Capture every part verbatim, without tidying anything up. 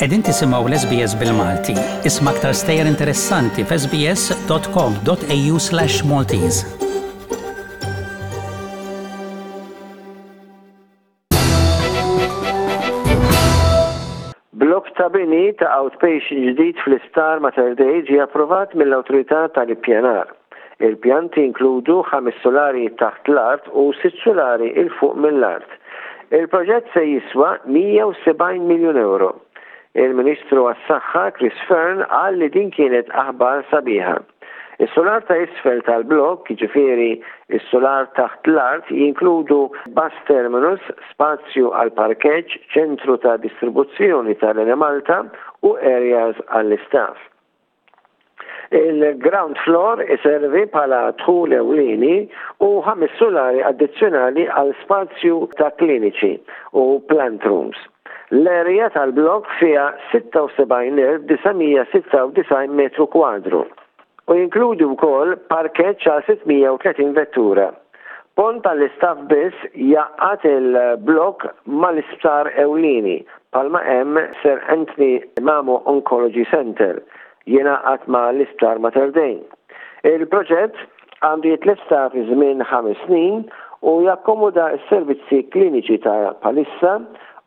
Qegħdin tisimgħu l-S B S bil-Malti. Isma' aktar stejjer interessanti f'S B S dot com dot A U slash Maltese. Blok ta' bini ta' outpatient ġdid fl-Isptar Mater Dei ġie approvat mill-Awtorità tal-Ippjanar. Il-pjanti inkludu ħames solari taħt l-art u sitt solari 'il fuq mill-art. Il-proġett se jiswa mija u sebgħin miljun euro. Il-Ministru għas-Saħħa Chris Fearne qal li din kienet aħbar sabiħa. Is-solar ta' isfel tal-blok, jiġifieri is-solar taħt l-art, jinkludu bus terminus, spazju għal parkeġġ, ċentru ta' distribuzzjoni tal-Enemalta u areas għall-istaff. Il-ground floor iservi bħala dħul ewlieni u ħames solari addizzjonali għal spazju ta' kliniċi u plant rooms. L-area tal-blok fiha sitta u sebgħin elf disa' mija sitta u disgħin metru kwadru u jinkludi wkoll parkeġġ għal sitt mija u tletin vettura. Pont tal-istaff biss jgħaqqad il-blok mal-isptar ewlieni bħalma hemm Sir Anthony Mamo Oncology Center jingħaqad ma l-isptar Mater Dei. Il-proġett għandu jitlesta fi żmien ħames snin u jakkomoda s-servizzi kliniċi ta' bħalissa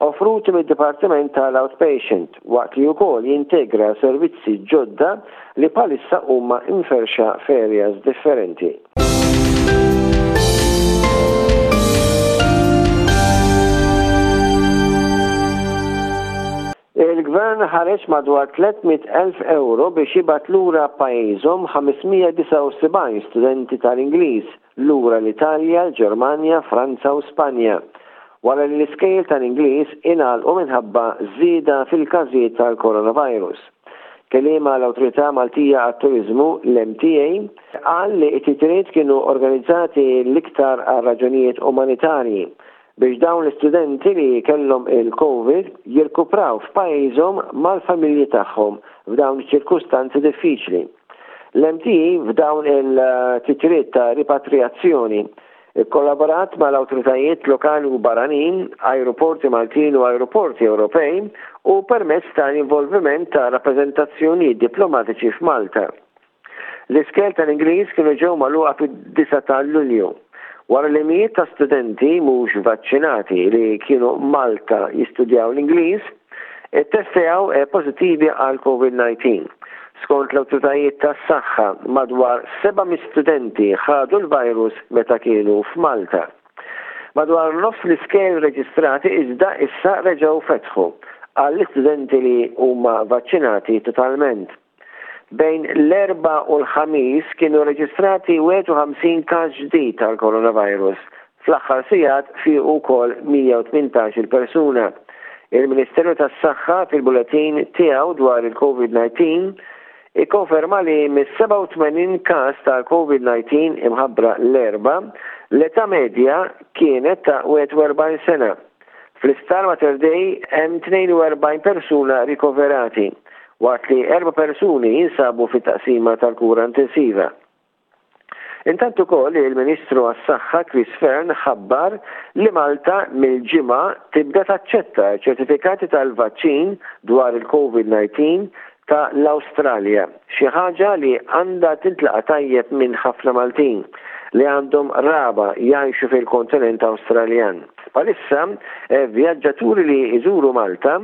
offruti mid-Dipartiment tal-Outpatient, waqt li wkoll jintegra servizzi ġodda li bħalissa huma imferxa f'areas differenti. Il-gvern ħareġ madwar tliet mitt elf euro biex jibgħat lura pajjiżhom ħames mija disgħa u sebgħin studenti tal-Ingliż lura l-Italja, l-Ġermanja, Franza u Spanja, wara li l-iskejjel tal-Ingliż ingħalqu minħabba żieda fil-każijiet tal-coronavirus. Kelliem l-Awtorità Maltija għat-Turizmu, l-M T A, qal li t-titjiriet kienu organizzati l-iktar għal raġunijiet umanitarji biex dawn l-istudenti li kellhom il-Covid jirkupraw f'pajjiżhom mal-familji tagħhom f'dawn iċ-ċirkustanzi diffiċli. L-M T A f'dawn il-titjiriet ta' ripatriazzjoni ikkollaborat mal-awtoritajiet lokali u barranin, aeroporti Maltin u aeroporti Ewropej u permezz tal-involviment ta' rappreżentazzjoni diplomatiċi f'Malta. L-iskejjel tal-Ingliż kienu ġew magħluqa fid-disgħa ta' Lulju wara li mijiet ta' studenti mhux vaċċinati li kienu Malta jistudjaw l-Ingliż ittestjaw pożittivi għal COVID disa. Skont l-awtoritajiet tas-saħħa, madwar seba' studenti ħadu l-virus meta kienu f'Malta. Madwar nofs l-iskejjel reġistrati iżda issa reġgħu fetħu għall-istudenti li huma vaċċinati totalment. Bejn l-Erbgħa u l-Ħamis kienu reġistrati wieħed u ħamsin każ ġdid tal-coronavirus. Fl-aħħar sigħat fiequ wkoll mija u tmintax-il persuna. Il-Ministeru tas-Saħħa fil-bulletin tiegħu dwar il-COVID disa ikkonferma li mis-sebgħa u tmenin każ tal-COVID disa imħabbra l-Erbgħa, l-età medja kienet ta' wieħed u erbgħin sena. Fl-Isptar Mater Dei hemm tnejn u erbgħin persuna rikoverati, waqt li erba' persuni jinsabu fit-taqsima tal-kura intensiva. Intant ukoll il-Ministru għas-Saħħa Chris Fearne ħabbar li Malta mill-Ġimgħa tibda taċċetta ċertifikati tal-vaċċin dwar il-COVID disa ta' l-Awstralja, xi ħaġa li għandha tintlaqa tajjeb minn ħafna Maltin li għandhom qraba jgħixu fil-kontinent Awstraljan. Bħalissa, eh, vjaġġaturi li jżuru Malta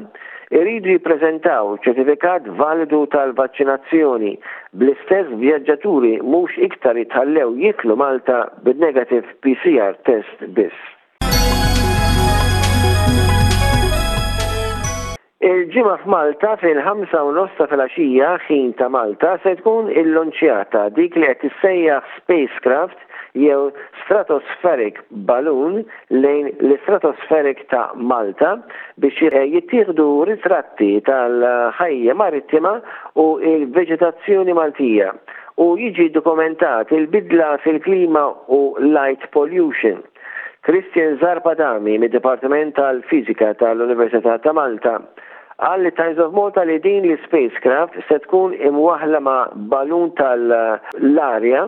iridu jippreżentaw ċertifikat validu tal-vaċċinazzjoni, bl-istess vjaġġaturi mhux iktar jitħallew jidħlu Malta bid-negative P C R test biss. Il-Ġimgħa f'Malta fil-ħamsa u nofs ta' filgħaxija, ħin ta' Malta, se tkun illonċjata dik li qed tissejjaħ spacecraft jew stratospheric balloon lejn l-stratospheric ta' Malta biex jittieħdu ritratti tal-ħajja marittima u il-veġetazzjoni Maltija u jiġi dokumentat il-bidla fil-klima u light pollution. Christian Zarb Adami mid-Dipartiment tal-Fizika tal-Università ta' Malta qal lit Times of Malta li din l-spacecraft se tkun imwaħla ma' balun tal-arja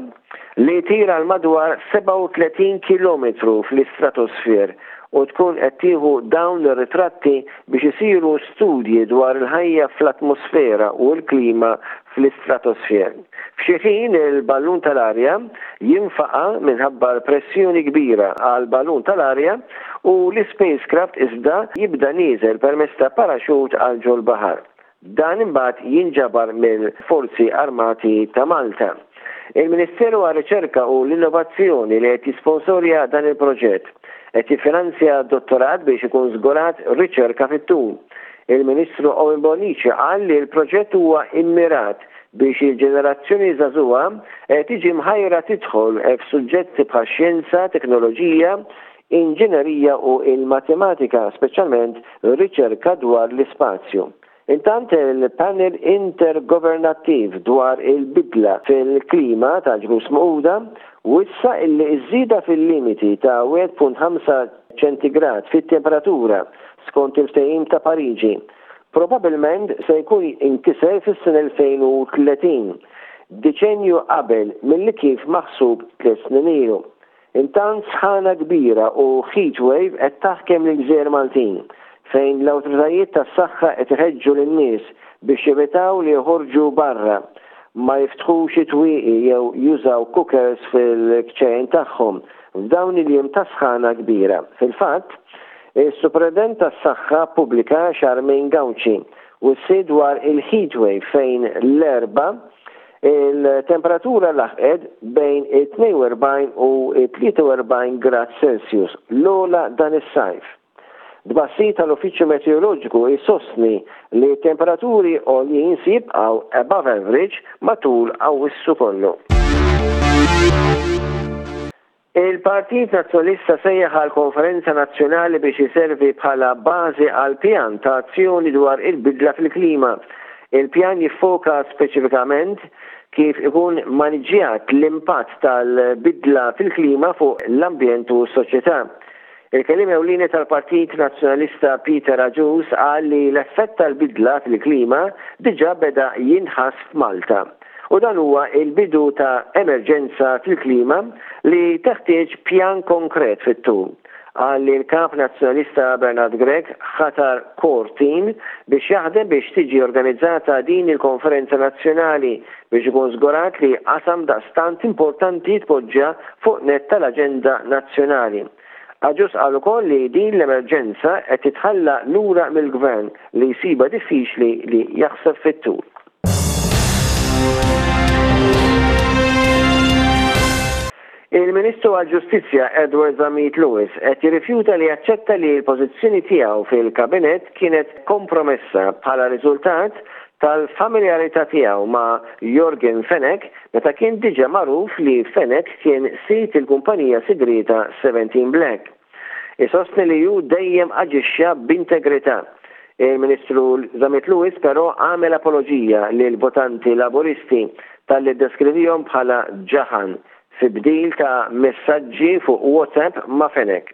li tira l madwar sebgħa u tletin kilometru fl-istratosfer. u tkun qed tieħu dawn ir-ritratti biex isiru studji dwar il-ħajja fl-atmosfera u l-klima fl-istratosfer. F'xi ħin il-ballun tal-arja jinfaqa' minħabba l-pressjoni kbira għall-ballun tal-arja u l-ispacecraft iżda jibda nieżel permezz ta' paraxut għal ġol-baħar. Dan imbagħad jinġabar mill-Forzi Armati ta' Malta. Il-Ministeru għar-Riċerka u l-Innovazzjoni li qed jisponsorja dan il-proġett qed jiffinanzja dottorat biex ikun żgurat riċerka fit-tul. Il-Ministru Owen Bonnici qal li l-proġett huwa immirat biex il-ġenerazzjoni żagħżugħa tiġi mħajra tidħol f'suġġetti bħax-xjenza, teknoloġija, inġinerija u l-matematika, speċjalment riċerka dwar l-ispazju. Intant il-Panel Intergovernattiv dwar il-Bidla fil-Klima tal-Ġnus Magħquda wissa illi ż-żieda fil-limiti ta' wieħed punt ħamsa ċentigrad fit-temperatura skont il-Ftehim ta' Pariġi probabbilment se jkun inkiser fis-sena elfejn u tletin, deċennju qabel milli kif maħsub tliet snin ilu. Intant sħana kbira u heatwave qed taħkem lill-gżejjer Maltin, fejn l-awtoritajiet tas-saħħa qed iħeġġu lin-nies biex jevitaw li joħorġu barra, ma jiftħux it-twieqi jew jużaw cookers fil-kċejjen tagħhom f'dawn il-jiem ta' sħana kbira. Fil-fatt, is-Supretendent tas-Saħħa Pubblika Charmaine Gauci wissiet dwar il-heatwave fejn l-Erbgħa il-temperatura laħqet bejn it-tnejn u erbgħin u t-tlieta u erbgħin grad Celsius, l-ogħla dan is-sajf. Tbassir tal-Uffiċċju Meteoroloġiku jsostni li t-temperaturi għoljin se jibqgħu above average matul Awwissu kollu. Il-Partit Nazzjonalista sejjaħ għal konferenza nazzjonali biex iservi bħala bażi għal pjan ta' azzjoni dwar il-bidla fil-klima. Il-pjan jiffoka speċifikament kif ikun maniġġjat l-impatt tal-bidla fil-klima fuq l-ambjent u s-soċjetà. Il-kelliem ewlieni tal-Partit Nazzjonalista Peter Agius qal li l-effett tal-bidla fil-klima diġà beda jinħass f'Malta u dan huwa il-bidu ta' emerġenza fil-klima li teħtieġ pjan konkret fit-tul. Qal li l-Kap Nazzjonalista Bernard Grech ħatar core team biex jaħdem biex tiġi organizzata din il-konferenza nazzjonali biex ikun żgurat li qasam daqstant importanti jitpoġġa fuq nett tal-aġenda nazzjonali. Agius qal ukoll li din l-emerġenza qed titħalla lura mill-gvern li jsibha diffiċli li jaħseb fit-tul. Il-Ministru għall-Ġustizzja Edward Zammit Lewis qed jirrifjuta li jaċċetta li l-pożizzjoni tiegħu fil-Kabinett kienet kompromessa bħala riżultat tal-familjarità tiegħu ma' Yorgen Fenech meta kien diġà magħruf li Fenech kien sid il-kumpanija sigrieta seventeen Black. Isostni li hu dejjem aġixxa b'integrità. Il-Ministru Zammit Lewis però għamel apoloġija lil votanti Laburisti talli ddeskrivihom bħala ġaħan fi bdil ta' messaġġi fuq WhatsApp ma' Fenech.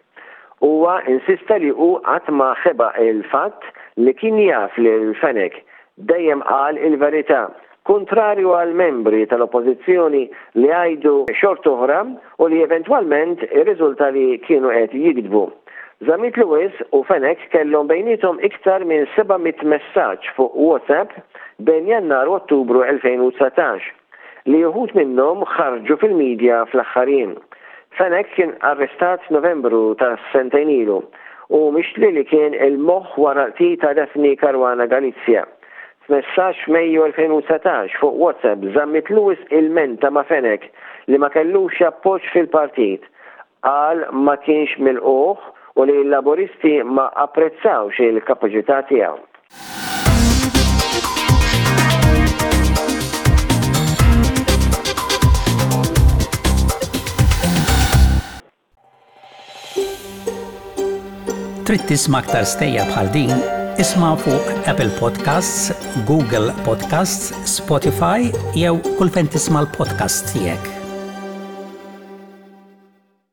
Huwa insista li hu qatt ma ħeba il-fatt li kien jaf lil Fenech, dejjem qal il-verità, kontrarju għal membri tal-oppożizzjoni li għajdu xort oħra u li eventwalment irriżulta li kienu qed jikdbu. Zammit Lewis u Fenech kellhom bejniethom iktar minn seba' mitt messaġġ fuq WhatsApp bejn Jannar u Ottubru elfejn u dsatax, li uħud minnhom ħarġu fil-medja fl-aħħar jiem. Fenech kien arrestat f'Novembru ta' sentejn ilu u mixli li kien il-moħħ wara l-qtil ta' Daphne Caruana Galizia. F'messaġġ f'Mejju elfejn u dsatax fuq WhatsApp, Zammit Lewis ilmenta ma' Fenech li ma kellux appoġġ fil-partit, qal ma kienx milqugħ u li l-Laburisti ma apprezzawx il-kapaċità tiegħu. Trid tisma' aktar stejjer bħal din? Isma' fuq Apple Podcasts, Google Podcasts, Spotify jew kull fejn tisma' l-podcasts tiegħek.